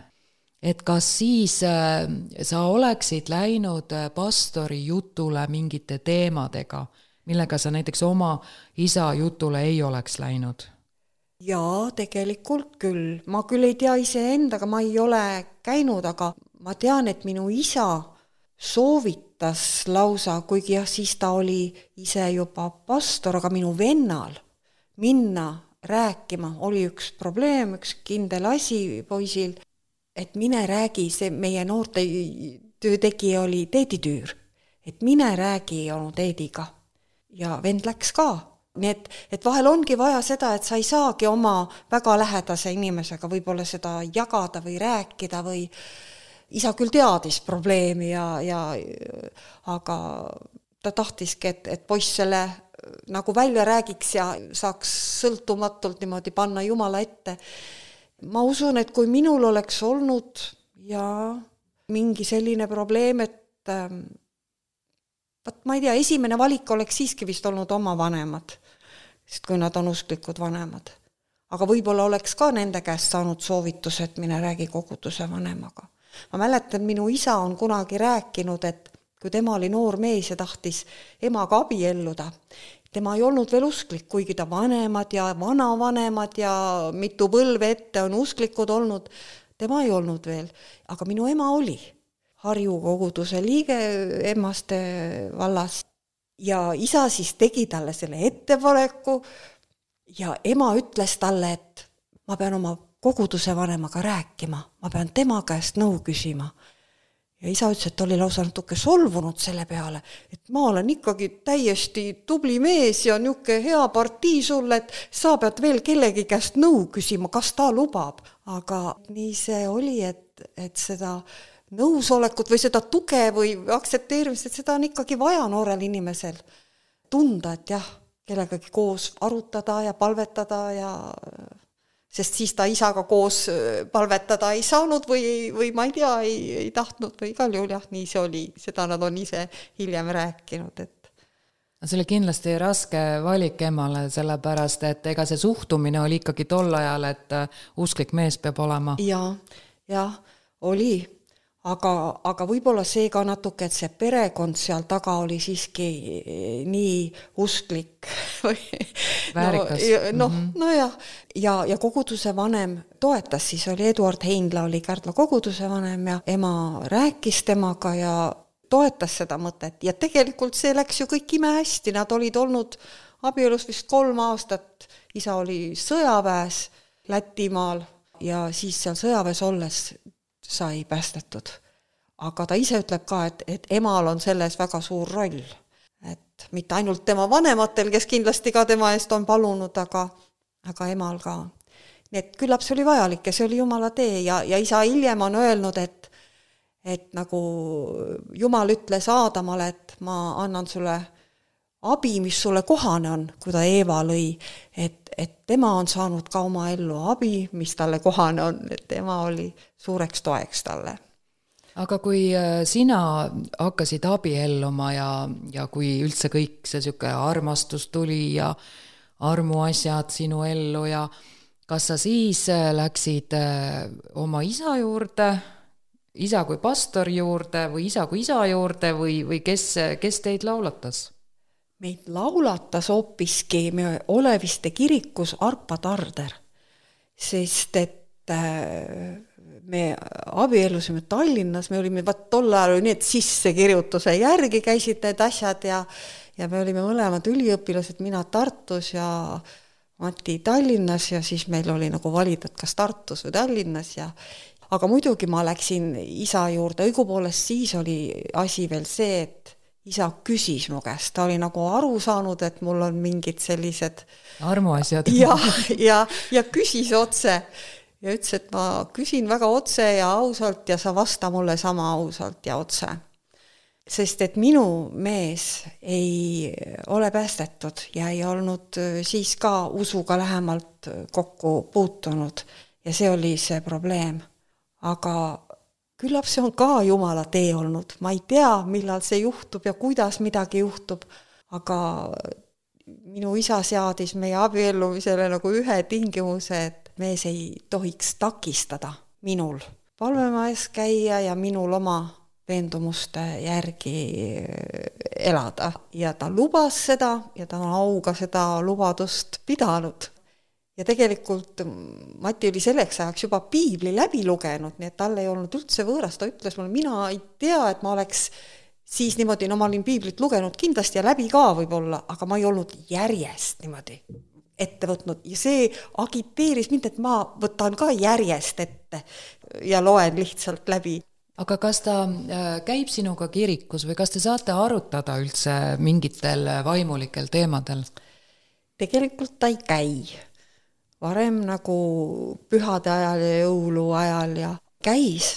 et kas siis sa oleksid läinud pastori jutule mingite teemadega, millega sa näiteks oma isa jutule ei oleks läinud? Jaa, tegelikult küll. Ma küll ei tea ise endaga, ma ei ole käinud, aga ma tean, et minu isa soovitas lausa, kuigi jah, siis ta oli ise juba pastor, aga minu vennal minna rääkima oli üks probleem, üks kindel asi poisil, et mine räägi, see meie noorte töötegija oli teeditüür, et mine räägi onu teediga ja vend läks ka. Nii et, et vahel ongi vaja seda, et sa ei saagi oma väga lähedase inimesega võib-olla seda jagada või rääkida või isa küll teadis probleemi ja, ja aga ta tahtiski, et, et poiss selle nagu välja räägiks ja saaks sõltumatult niimoodi panna Jumala ette. Ma usun, et kui minul oleks olnud ja mingi selline probleem, et Vat ma ei tea, esimene valik oleks siiski vist olnud oma vanemad, sest kui nad on usklikud vanemad. Aga võib-olla oleks ka nende käest saanud soovitus, et mine räägi koguduse vanemaga. Ma mäletan, minu isa on kunagi rääkinud, et kui tema oli noor mees ja tahtis emaga abielluda, tema ei olnud veel usklik, kuigi ta vanemad ja vanavanemad ja mitu põlve ette on usklikud olnud, tema ei olnud veel, aga minu ema oli. Harju koguduse liige Emmaste vallas ja isa siis tegi talle selle ettepaneku ja ema ütles talle, et ma pean oma koguduse vanemaga rääkima, ma pean tema käest nõu küsima. Ja isa ütles, et oli lausa natuke solvunud selle peale, et ma olen ikkagi täiesti tubli mees ja niuke hea partii sulle, et sa pead veel kellegi käest nõu küsima, kas ta lubab. Aga nii see oli, et, et seda nõusolekut või seda tuge või aktsepteerimist, et seda on ikkagi vaja noorel inimesel tunda, et jah, kellegagi koos arutada ja palvetada ja sest siis ta isaga koos palvetada ei saanud või, või ma ei tea, ei, ei tahtnud või igal juhul jah, nii see oli, seda nad on ise hiljem rääkinud, et See oli kindlasti raske valik emale, sellepärast, et ega see suhtumine oli ikkagi tol ajal, et usklik mees peab olema. Ja, ja oli, aga, aga võib-olla see ka natuke, et see perekond seal taga oli siiski nii usklik. Väärikas. No, mm-hmm. no ja, ja, ja koguduse vanem toetas, siis oli Eduard Heinla, oli Kärdla koguduse vanem ja ema rääkis temaga ja toetas seda mõtet ja tegelikult see läks ju kõik ime hästi, nad olid olnud abielus vist kolm aastat, isa oli sõjaväes Lätimaal ja siis seal sõjaväes olles sai päästetud. Aga ta ise ütleb ka, et, et emal on selles väga suur roll, et mitte ainult tema vanematel, kes kindlasti ka tema eest on palunud, aga, aga emal ka. Nii et küllap see oli vajalik ja see oli Jumala tee ja, ja isa hiljem on öelnud, et et nagu Jumal ütles Aadamale, et ma annan sulle abi, mis sulle kohane on, kui ta Eeva lõi, et, et tema on saanud ka oma ellu abi, mis talle kohane on, et tema oli suureks toeks talle. Aga kui sina hakkasid abielluma ja, ja kui üldse kõik see siuke armastus tuli ja armuasjad sinu ellu ja kas sa siis läksid oma isa juurde, isa kui pastor juurde või isa kui isa juurde või, või kes, kes teid laulatas? Meid laulatas hoopiski me Oleviste kirikus Arpa Tarder, sest et me abielusime Tallinnas, me olime vaat tol ajal need sissekirjutuse järgi käisid need asjad ja, ja me olime mõlemad üliõpilased, mina Tartus ja Mati Tallinnas ja siis meil oli nagu valida, kas Tartus või Tallinnas ja aga muidugi ma läksin isa juurde, õigupoolest siis oli asi veel see, et isa küsis mu käest, ta oli nagu aru saanud, et mul on mingid sellised armuasjad. Ja, ja, ja küsis otse ja ütles, et ma küsin väga otse ja ausalt ja sa vasta mulle sama ausalt ja otse. Sest et minu mees ei ole päästetud ja ei olnud siis ka usuga lähemalt kokku puutunud ja see oli see probleem. Aga küllap see on ka Jumala tee olnud. Ma ei tea, millal see juhtub ja kuidas midagi juhtub, aga minu isa seadis meie abiellumisele nagu ühe tingimuse, et mees ei tohiks takistada minul palvemajas käia ja minul oma veendumuste järgi elada. Ja ta lubas seda ja ta on auga seda lubadust pidanud. Ja tegelikult Mati oli selleks ajaks juba piibli läbi lugenud, nii et talle ei olnud üldse võõras, ta ütles mulle, mina ei tea, et ma oleks siis niimoodi, no ma olin piiblit lugenud kindlasti ja läbi ka võib-olla, aga ma ei olnud järjest niimoodi ette võtnud ja see agiteeris mind, et ma võtan ka järjest ette ja loen lihtsalt läbi. Aga kas ta käib sinuga kirikus või kas te saate arutada üldse mingitel vaimulikel teemadel? Tegelikult ta ei käi. Varem nagu pühade ajal ja jõulu ajal ja käis,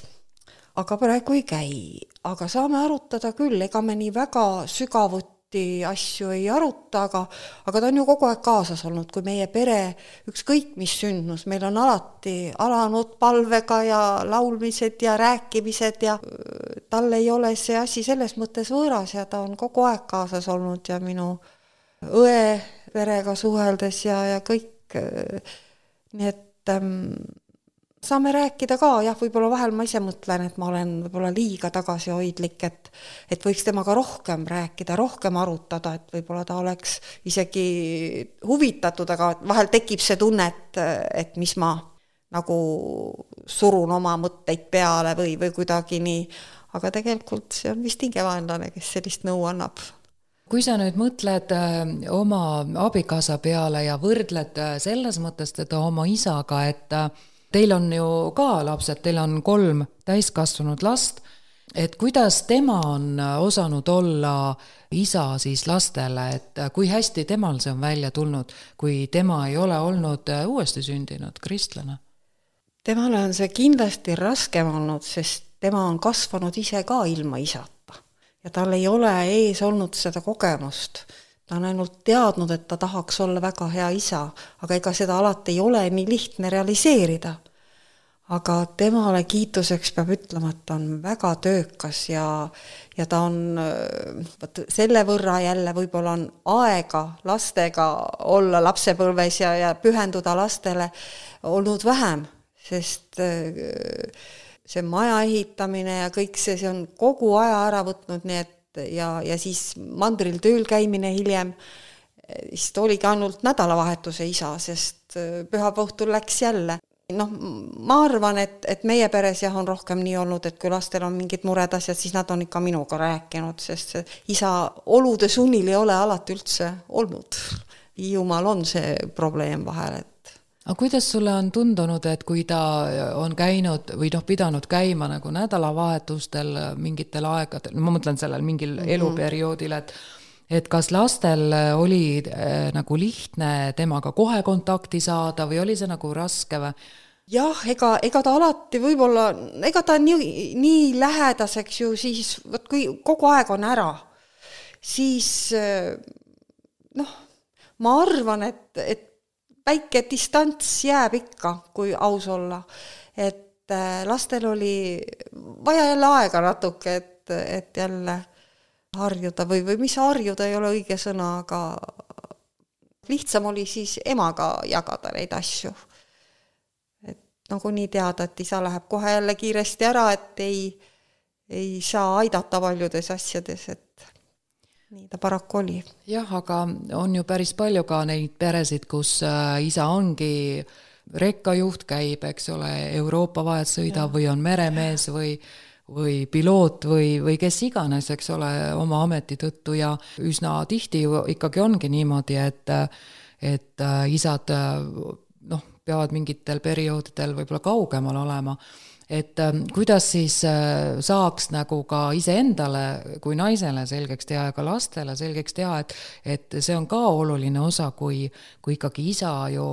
aga praegu ei käi. Aga saame arutada küll, ega me nii väga sügavuti asju ei aruta, aga, aga ta on ju kogu aeg kaasas olnud, kui meie pere ükskõik mis sündmus, meil on alati alanud palvega ja laulmised ja rääkimised ja tal ei ole see asi selles mõttes võõras ja ta on kogu aeg kaasas olnud ja minu õe perega suheldes ja, ja kõik. Nii et ähm, saame rääkida ka, jah, võib-olla vahel ma ise mõtlen, et ma olen võib-olla liiga tagasihoidlik, et, et võiks temaga rohkem rääkida, rohkem arutada, et võib-olla ta oleks isegi huvitatud, aga vahel tekib see tunne, et, et mis ma nagu surun oma mõtteid peale või, või kuidagi nii, aga tegelikult see on vist hingevaenlane, kes sellist nõu annab. Kui sa nüüd mõtled oma abikaasa peale ja võrdled selles mõttes teda oma isaga, et teil on ju ka lapsed, teil on kolm täiskasvanud last, et kuidas tema on osanud olla isa siis lastele, et kui hästi temal see on välja tulnud, kui tema ei ole olnud uuesti sündinud kristlane? Temale on see kindlasti raskem olnud, sest tema on kasvanud ise ka ilma isata. Ja tal ei ole ees olnud seda kogemust. Ta on ainult teadnud, et ta tahaks olla väga hea isa, aga ega seda alati ei ole nii lihtne realiseerida. aga temale kiituseks peab ütlema, et ta on väga töökas ja, ja ta on võt, selle võrra jälle võib-olla on aega lastega olla lapsepõlves ja, ja pühenduda lastele olnud vähem, sest see maja ehitamine ja kõik see, see on kogu aja ära võtnud, nii et ja, ja siis mandril tööl käimine hiljem, siis ta oligi ainult nädalavahetuse isa, sest pühapäeva õhtul läks jälle. Noh, ma arvan, et, et meie peres jah on rohkem nii olnud, et kui lastel on mingid mured asjad, siis nad on ikka minuga rääkinud, sest isa olude sunnil ei ole alati üldse olnud. Hiiumaal on see probleem vahel, et aga kuidas sulle on tundunud, et kui ta on käinud või noh, pidanud käima nagu nädalavahetustel mingitel aegadel, ma mõtlen sellel mingil mm-hmm. eluperioodil, et et kas lastel oli äh, nagu lihtne temaga kohe kontakti saada või oli see nagu raske või? Jah, ega, ega ta alati võib-olla, ega ta nii, nii lähedaseks ju siis, võt, kui kogu aeg on ära, siis noh, ma arvan, et, et väike distants jääb ikka, kui aus olla, et lastel oli vaja jälle aega natuke, et, et jälle harjuda või, või mis harjuda ei ole õige sõna, aga lihtsam oli siis emaga jagada neid asju. Et nagu nii teada, et isa läheb kohe jälle kiiresti ära, et ei, ei saa aidata paljudes asjades, et nii ta paraku oli. Jah, aga on ju päris palju ka neid peresid, kus isa ongi rekkajuht, käib, eks ole, Euroopa vahet sõida ja. Või on meremees või või piloot või, või kes iganes, eks ole, oma ameti tõttu ja üsna tihti ju ikkagi ongi niimoodi, et, et isad noh, peavad mingitel perioodidel võib-olla kaugemal olema. Et kuidas siis saaks nagu ka iseendale kui naisele selgeks teha ja ka lastele selgeks teha, et, et see on ka oluline osa, kui, kui ikkagi isa ju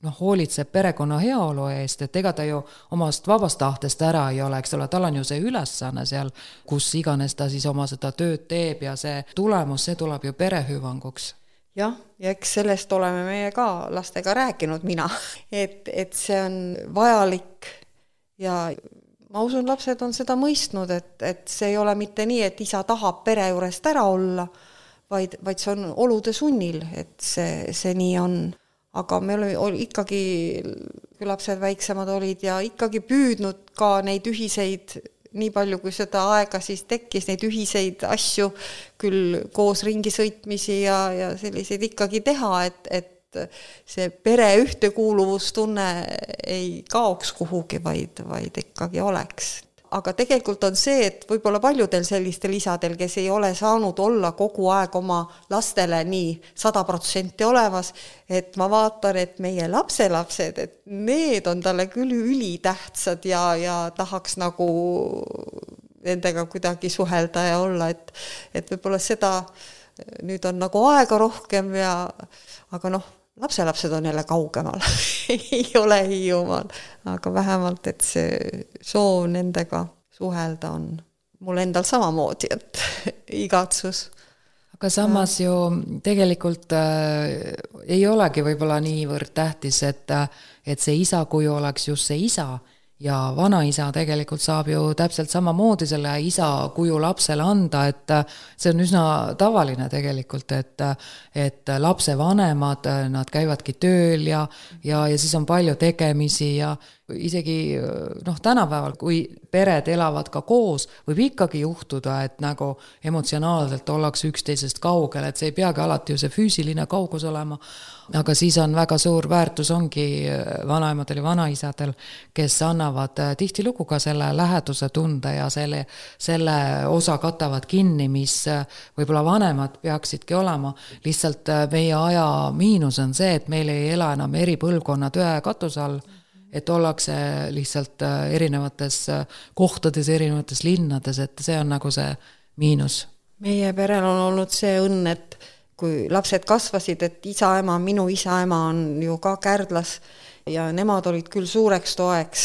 noh, hoolitseb perekonna heaolu eest, et ega ta ju omast vabast tahtest ära ei ole, eks ole, tal on ju see ülesanne seal, kus iganes ta siis oma seda tööd teeb ja see tulemus, see tuleb ju perehüvanguks. Jah, ja eks sellest oleme meie ka lastega rääkinud mina, et, et see on vajalik ja ma usun, lapsed on seda mõistnud, et, et see ei ole mitte nii, et isa tahab pere juurest ära olla, vaid, vaid see on olude sunnil, et see, see nii on. Aga me olime ikkagi, kui lapsed väiksemad olid ja ikkagi püüdnud ka neid ühiseid, nii palju kui seda aega siis tekkis, neid ühiseid asju küll koos ringi sõitmisi ja, ja selliseid ikkagi teha, et, et see pere ühtekuuluvustunne ei kaoks kuhugi, vaid, vaid ikkagi oleks. Aga tegelikult on see, et võib-olla paljudel sellistel isadel, kes ei ole saanud olla kogu aeg oma lastele nii sada protsenti olemas, et ma vaatan, et meie lapselapsed, et need on talle küll ülitähtsad ja, ja tahaks nagu nendega kuidagi suhelda ja olla, et, et võib-olla seda nüüd on nagu aega rohkem ja, aga noh, lapselapsed on jälle kaugemal, ei ole Hiiumaal, aga vähemalt, et see soov nendega suhelda on mul endal samamoodi, et igatsus. Aga samas ju tegelikult äh, ei olegi võib-olla niivõrd tähtis, et, et see isa kuju oleks just see isa ja vanaisa tegelikult saab ju täpselt samamoodi selle isa kuju lapsele anda, et see on üsna tavaline tegelikult, et, et lapse vanemad, nad käivadki tööl ja, ja, ja siis on palju tegemisi ja isegi noh, tänapäeval, kui pered elavad ka koos, võib ikkagi juhtuda, et nagu emotsionaalselt ollakse üksteisest kaugel, et see ei peagi alati ju see füüsiline kaugus olema, aga siis on väga suur väärtus ongi vanaemadel ja vanaisadel, kes annavad tihtilugu ka selle läheduse tunde ja selle, selle osa katavad kinni, mis võib-olla vanemad peaksidki olema. Lihtsalt meie aja miinus on see, et meil ei ela enam eri põlvkonnad ühe katuse all, et ollakse lihtsalt erinevates kohtades, erinevates linnades, et see on nagu see miinus. Meie perel on olnud see õnn, et kui lapsed kasvasid, et isa ema, minu isa ema on ju ka Kärdlas ja nemad olid küll suureks toeks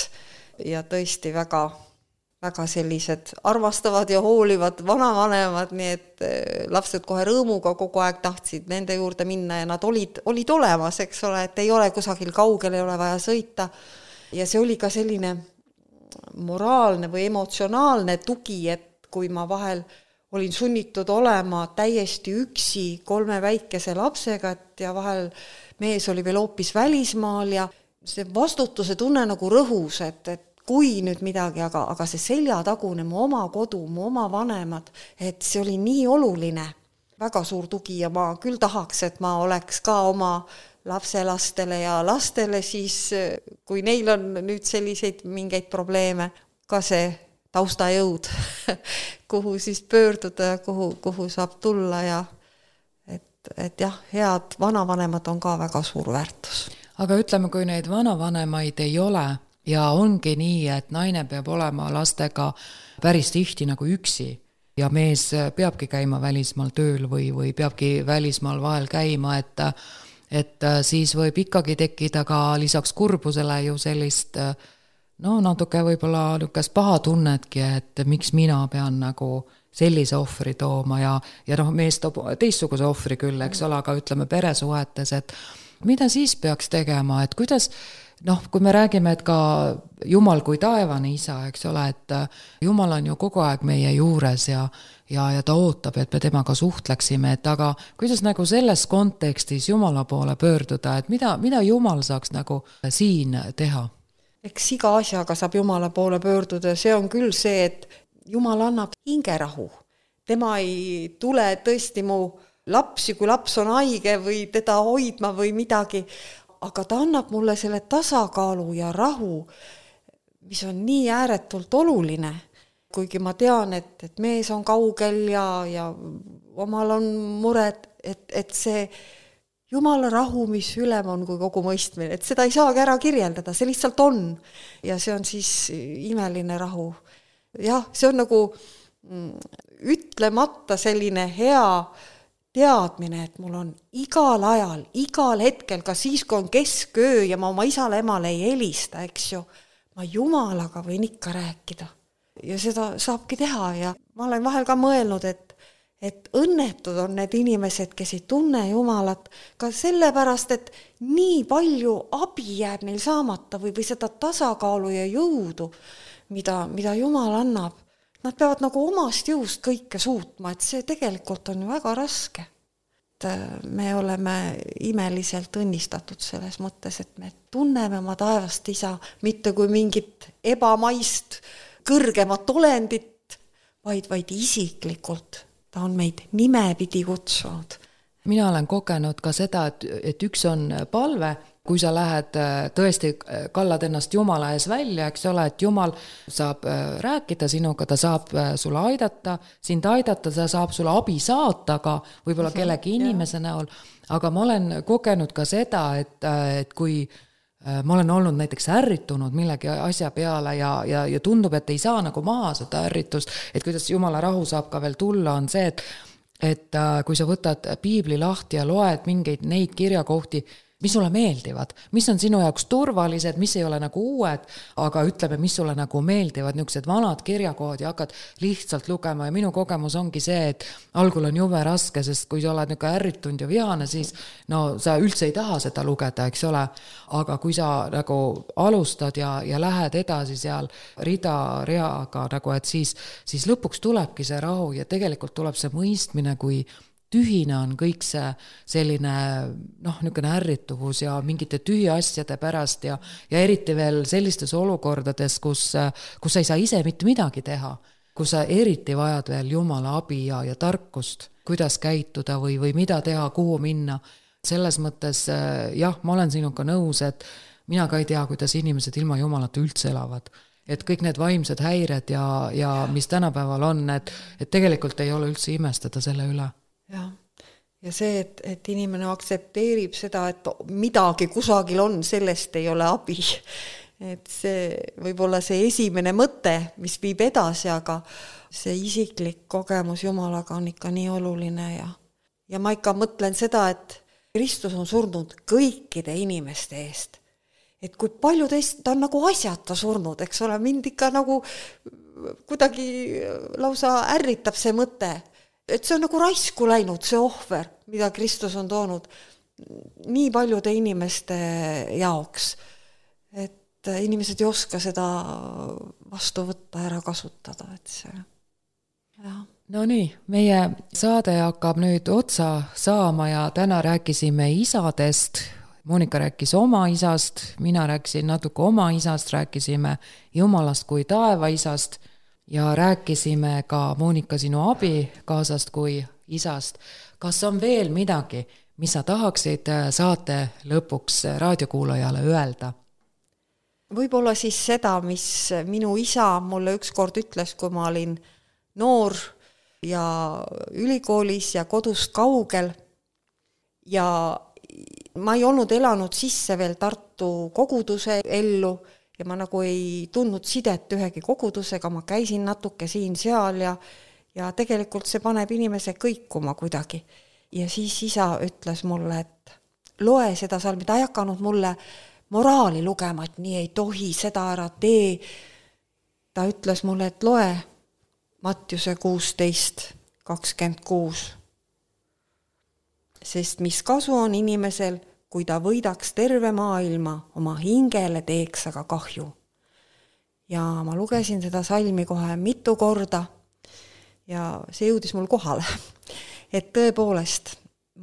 ja tõesti väga, väga sellised armastavad ja hoolivad vanavanemad, nii et lapsed kohe rõõmuga kogu aeg tahtsid nende juurde minna ja nad olid, olid olemas, eks ole, et ei ole kusagil kaugel, ei ole vaja sõita. ja see oli ka selline moraalne või emotsionaalne tugi, et kui ma vahel olin sunnitud olema täiesti üksi kolme väikese lapsega, et ja vahel mees oli veel hoopis välismaal ja see vastutuse tunne nagu rõhus, et, et kui nüüd midagi, aga, aga see seljatagune, mu oma kodu, mu oma vanemad, et see oli nii oluline, väga suur tugi ja ma küll tahaks, et ma oleks ka oma lapselastele ja lastele siis, kui neil on nüüd selliseid mingeid probleeme, ka see taustajõud, kuhu siis pöörduda, kuhu, kuhu saab tulla ja et, et jah, head vanavanemad on ka väga suur väärtus. Aga ütleme, kui neid vanavanemaid ei ole ja ongi nii, et naine peab olema lastega päris tihti nagu üksi ja mees peabki käima välismaal tööl või, või peabki välismaal vahel käima, et, et siis võib ikkagi tekkida ka lisaks kurbusele ju sellist no natuke võib-olla niisugust paha tunnetki, et miks mina pean nagu sellise ohvri tooma ja, ja noh, mees toob teistsuguse ohvri küll, eks ole, aga ütleme peresuhetes, et mida siis peaks tegema, et kuidas, noh, kui me räägime, et ka Jumal kui taevane isa, eks ole, et Jumal on ju kogu aeg meie juures ja, ja, ja ta ootab, et me temaga suhtleksime, et aga kuidas nagu selles kontekstis Jumala poole pöörduda, et mida, mida Jumal saaks nagu siin teha? Eks iga asjaga saab Jumala poole pöörduda, see on küll see, et Jumal annab hingerahu. Tema ei tule tõesti mu lapsi, kui laps on haige või teda hoidma või midagi, aga ta annab mulle selle tasakaalu ja rahu, mis on nii ääretult oluline. Kuigi ma tean, et, et mees on kaugel ja, ja omal on mured, et, et see Jumala rahu, mis ülem on kui kogu mõistmine, et seda ei saagi ära kirjeldada, see lihtsalt on. Ja see on siis imeline rahu. Jah, see on nagu ütlemata selline hea teadmine, et mul on igal ajal, igal hetkel, ka siis, kui on kesköö ja ma oma isale emale ei helista, eks ju, ma Jumalaga võin ikka rääkida. Ja seda saabki teha ja ma olen vahel ka mõelnud, et et õnnetud on need inimesed, kes ei tunne Jumalat, ka sellepärast, et nii palju abi jääb neil saamata või, või seda tasakaalu ja jõudu, mida, mida Jumal annab. Nad peavad nagu omast jõust kõike suutma, et see tegelikult on ju väga raske. Et me oleme imeliselt õnnistatud selles mõttes, et me tunneme oma taevast isa mitte kui mingit ebamaist, kõrgemat olendit, vaid, vaid isiklikult. Ta on meid nimepidi kutsunud. Mina olen kogenud ka seda, et, et üks on palve, kui sa lähed tõesti, kallad ennast Jumala ees välja, eks ole, et Jumal saab rääkida sinuga, ta saab sulle aidata, sind aidata, ta saab sulle abi saata ka võib-olla kellegi inimese näol, aga ma olen kogenud ka seda, et, et kui ma olen olnud näiteks ärritunud millegi asja peale ja, ja, ja tundub, et ei saa nagu maha seda ärritust, et kuidas Jumala rahu saab ka veel tulla, on see, et, et kui sa võtad piibli lahti ja loed mingeid neid kirjakohti, mis sulle meeldivad, mis on sinu jaoks turvalised, mis ei ole nagu uued, aga ütleme, mis sulle nagu meeldivad, niisugused vanad kirjakohad ja hakkad lihtsalt lugema ja minu kogemus ongi see, et algul on jube raske, sest kui sa oled niisugune ärritunud ja vihane, siis no sa üldse ei taha seda lugeda, eks ole, aga kui sa nagu alustad ja, ja lähed edasi seal rida reaga, nagu et siis, siis lõpuks tulebki see rahu ja tegelikult tuleb see mõistmine, kui tühine on kõik see selline noh, niisugune ärrituvus ja mingite tühi asjade pärast ja, ja eriti veel sellistes olukordades, kus, kus sa ei saa ise mitte midagi teha, kus sa eriti vajad veel Jumala abi ja, ja tarkust, kuidas käituda või, või mida teha, kuhu minna. Selles mõttes jah, ma olen sinuga nõus, et mina ka ei tea, kuidas inimesed ilma Jumalata üldse elavad. Et kõik need vaimsed häired ja, ja mis tänapäeval on, et, et tegelikult ei ole üldse imestada selle üle. Ja, ja see, et, et inimene aktsepteerib seda, et midagi kusagil on, sellest ei ole abi. Et see võib olla see esimene mõte, mis viib edasi, aga see isiklik kogemus Jumalaga on ikka nii oluline. Ja, ja ma ikka mõtlen seda, et Kristus on surnud kõikide inimeste eest. Et kui palju teist, ta on nagu asjata surnud, eks ole, mind ikka nagu kuidagi lausa ärritab see mõte. Et see on nagu raisku läinud, see ohver, mida Kristus on toonud nii paljude inimeste jaoks. Et et inimesed ei oska seda vastu võtta, ära kasutada, et see, jah. No nii, meie saade hakkab nüüd otsa saama ja täna rääkisime isadest. Monika rääkis oma isast, mina rääkisin natuke oma isast, rääkisime Jumalast kui taeva isast ja rääkisime ka Monika sinu abikaasast kui isast. Kas on veel midagi, mis sa tahaksid saate lõpuks raadiokuulajale öelda? Võib-olla siis seda, mis minu isa mulle ükskord ütles, kui ma olin noor ja ülikoolis ja kodust kaugel ja ma ei olnud elanud sisse veel Tartu koguduse ellu ja ma nagu ei tundnud sidet ühegi kogudusega, ma käisin natuke siin-seal ja, ja tegelikult see paneb inimese kõikuma kuidagi. Ja siis isa ütles mulle, et loe seda salmi, ta ei hakanud mulle moraali lugema, et nii ei tohi, seda ära tee. Ta ütles mulle, et loe Mattiuse kuusteist kakskümmend kuus. Sest mis kasu on inimesel, kui ta võidaks terve maailma, oma hingele teeks aga kahju. Ja ma lugesin seda salmi kohe mitu korda ja see jõudis mul kohale. Et tõepoolest,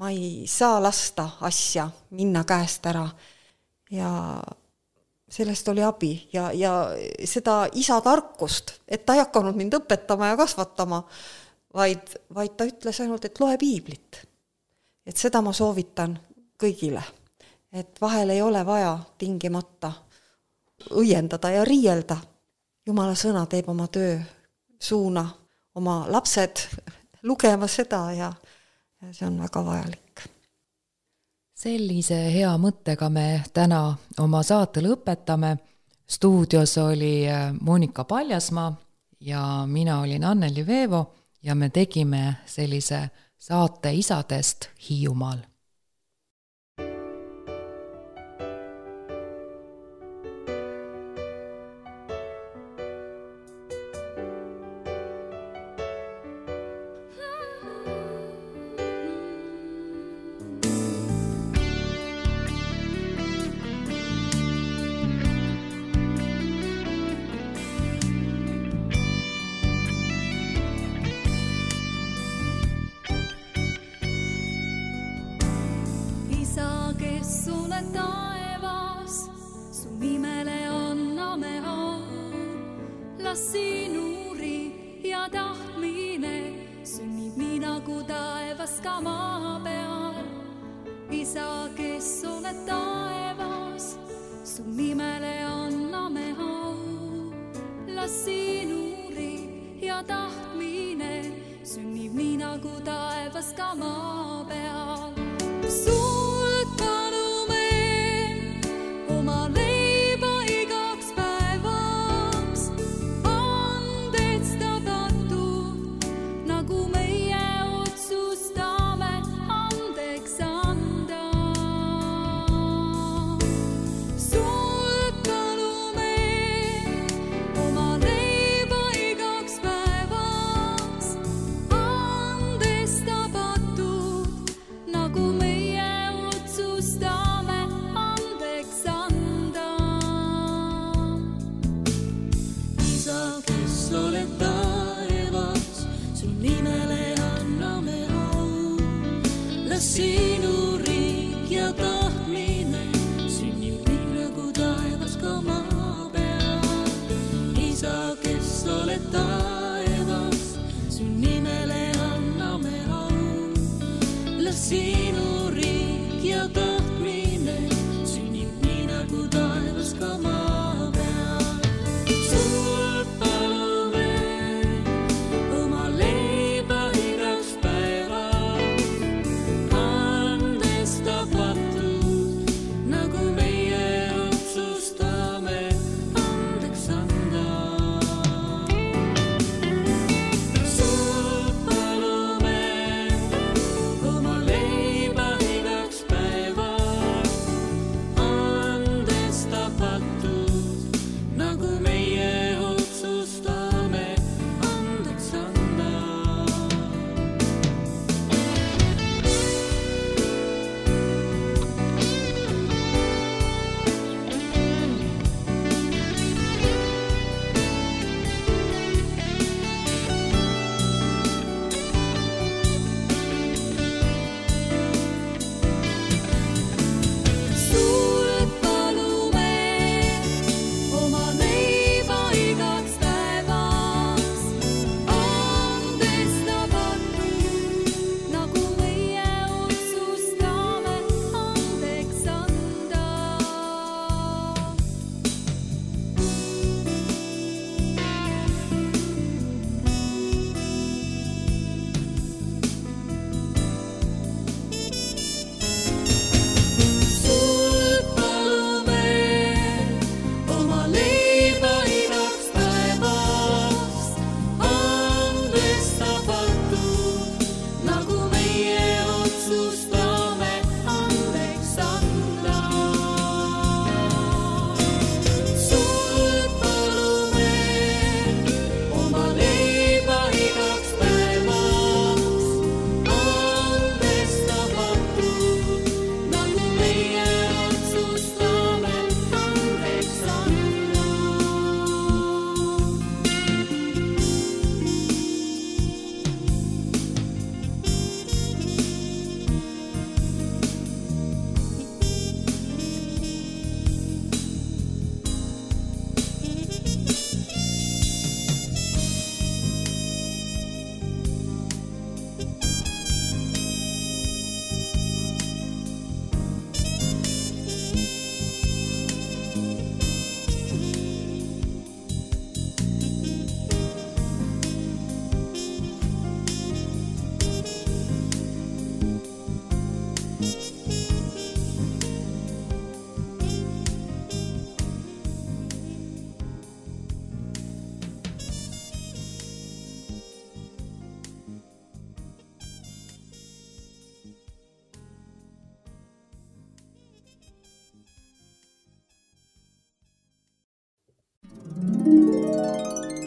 ma ei saa lasta asja minna käest ära ja sellest oli abi ja, ja seda isa tarkust, et ta ei hakanud mind õpetama ja kasvatama, vaid, vaid ta ütles ainult, et loe piiblit. Et seda ma soovitan kõigile, et vahel ei ole vaja tingimata õiendada ja riielda. Jumala sõna teeb oma töö, suuna oma lapsed lugema seda ja see on väga vajalik. Sellise hea mõttega me täna oma saate lõpetame. Stuudios oli Monika Paljasmaa ja mina olin Anneli Veevo ja me tegime sellise saate isadest Hiiumaal.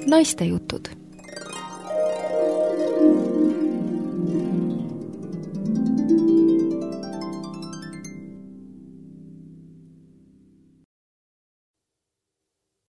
Naistejutud.